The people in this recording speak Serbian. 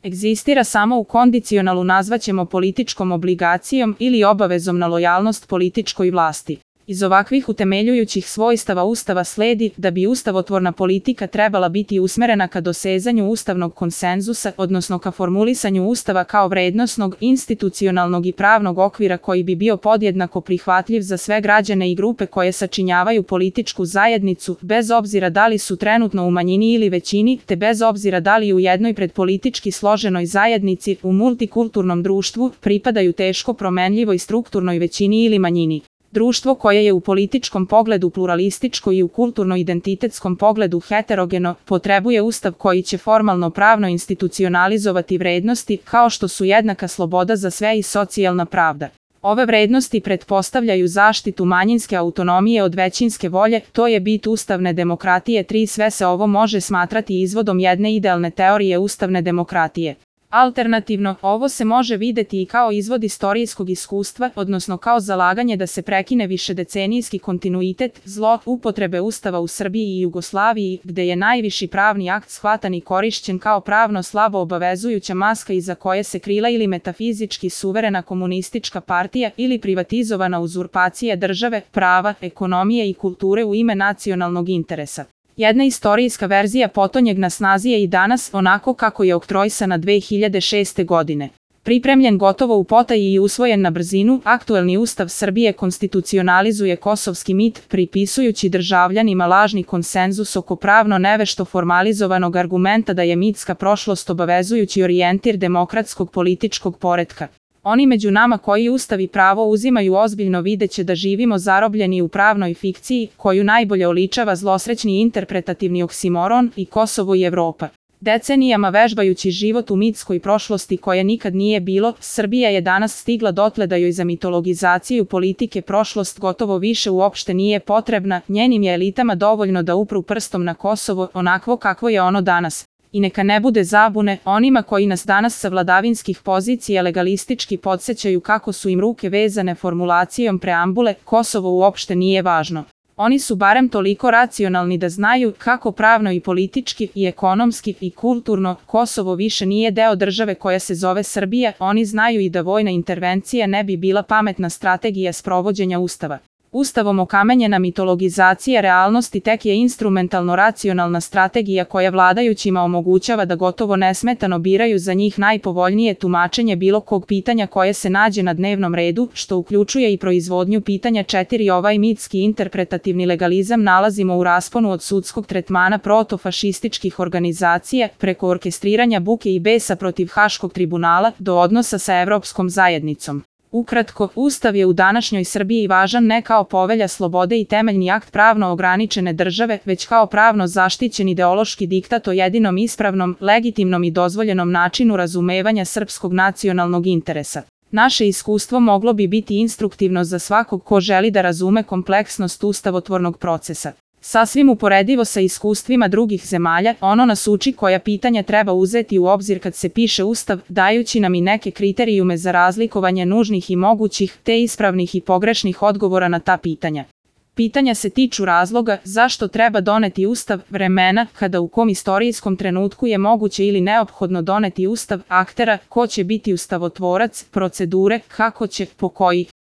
Egzistira samo u kondicionalu nazvaćemo političkom obligacijom ili obavezom na lojalnost političkoj vlasti. Iz ovakvih utemeljujućih svojstava Ustava sledi da bi ustavotvorna politika trebala biti usmerena ka dosezanju ustavnog konsenzusa, odnosno ka formulisanju Ustava kao vrednosnog, institucionalnog i pravnog okvira koji bi bio podjednako prihvatljiv za sve građane i grupe koje sačinjavaju političku zajednicu, bez obzira da li su trenutno u manjini ili većini, te bez obzira da li u jednoj predpolitički složenoj zajednici, u multikulturnom društvu, pripadaju teško promenljivoj strukturnoj većini ili manjini. Društvo koje je u političkom pogledu pluralističko i u kulturno-identitetskom pogledu heterogeno, potrebuje ustav koji će formalno pravno institucionalizovati vrednosti kao što su jednaka sloboda za sve i socijalna pravda. Ove vrednosti pretpostavljaju zaštitu manjinske autonomije od većinske volje, to je bit ustavne demokratije. Sve se ovo može smatrati izvodom jedne idealne teorije ustavne demokratije. Alternativno, ovo se može videti i kao izvod istorijskog iskustva, odnosno kao zalaganje da se prekine višedecenijski kontinuitet zloupotrebe Ustava u Srbiji i Jugoslaviji, gde je najviši pravni akt shvatan i korišćen kao pravno slabo obavezujuća maska iza koje se krila ili metafizički suverena komunistička partija ili privatizovana uzurpacija države, prava, ekonomije i kulture u ime nacionalnog interesa. Jedna istorijska verzija potonjeg na snazi je i danas onako kako je oktroisana 2006. godine. Pripremljen gotovo u potaji i usvojen na brzinu, aktuelni Ustav Srbije konstitucionalizuje kosovski mit, pripisujući državljanima lažni konsenzus oko pravno nevešto formalizovanog argumenta da je mitska prošlost obavezujući orijentir demokratskog političkog poretka. Oni među nama koji Ustav i pravo uzimaju ozbiljno videće da živimo zarobljeni u pravnoj fikciji, koju najbolje oličava zlosrećni interpretativni oksimoron i Kosovo i Evropa. Decenijama vežbajući život u mitskoj prošlosti koje nikad nije bilo, Srbija je danas stigla dotle da joj za mitologizaciju politike prošlost gotovo više uopšte nije potrebna, njenim je elitama dovoljno da upru prstom na Kosovo onakvo kakvo je ono danas. I neka ne bude zabune, onima koji nas danas sa vladavinskih pozicija legalistički podsjećaju kako su im ruke vezane formulacijom preambule, Kosovo uopšte nije važno. Oni su barem toliko racionalni da znaju kako pravno i politički i ekonomski i kulturno Kosovo više nije deo države koja se zove Srbija. Oni znaju i da vojna intervencija ne bi bila pametna strategija sprovođenja Ustava. Ustavom okamenjena mitologizacija realnosti tek je instrumentalno racionalna strategija koja vladajućima omogućava da gotovo nesmetano biraju za njih najpovoljnije tumačenje bilo kog pitanja koje se nađe na dnevnom redu, što uključuje i proizvodnju pitanja 4. Ovaj mitski interpretativni legalizam nalazimo u rasponu od sudskog tretmana protofašističkih organizacija, preko orkestriranja buke i besa protiv Haškog tribunala, do odnosa sa Evropskom zajednicom. Ukratko, Ustav je u današnjoj Srbiji važan ne kao povelja slobode i temeljni akt pravno ograničene države, već kao pravno zaštićen ideološki diktat o jedinom ispravnom, legitimnom i dozvoljenom načinu razumevanja srpskog nacionalnog interesa. Naše iskustvo moglo bi biti instruktivno za svakog ko želi da razume kompleksnost ustavotvornog procesa. Sasvim uporedivo sa iskustvima drugih zemalja, ono nas uči koja pitanja treba uzeti u obzir kad se piše Ustav, dajući nam i neke kriterijume za razlikovanje nužnih i mogućih, te ispravnih i pogrešnih odgovora na ta pitanja. Pitanja se tiču razloga zašto treba doneti Ustav, vremena kada u kom istorijskom trenutku je moguće ili neophodno doneti Ustav, aktera, ko će biti ustavotvorac, procedure, kako će, po kojih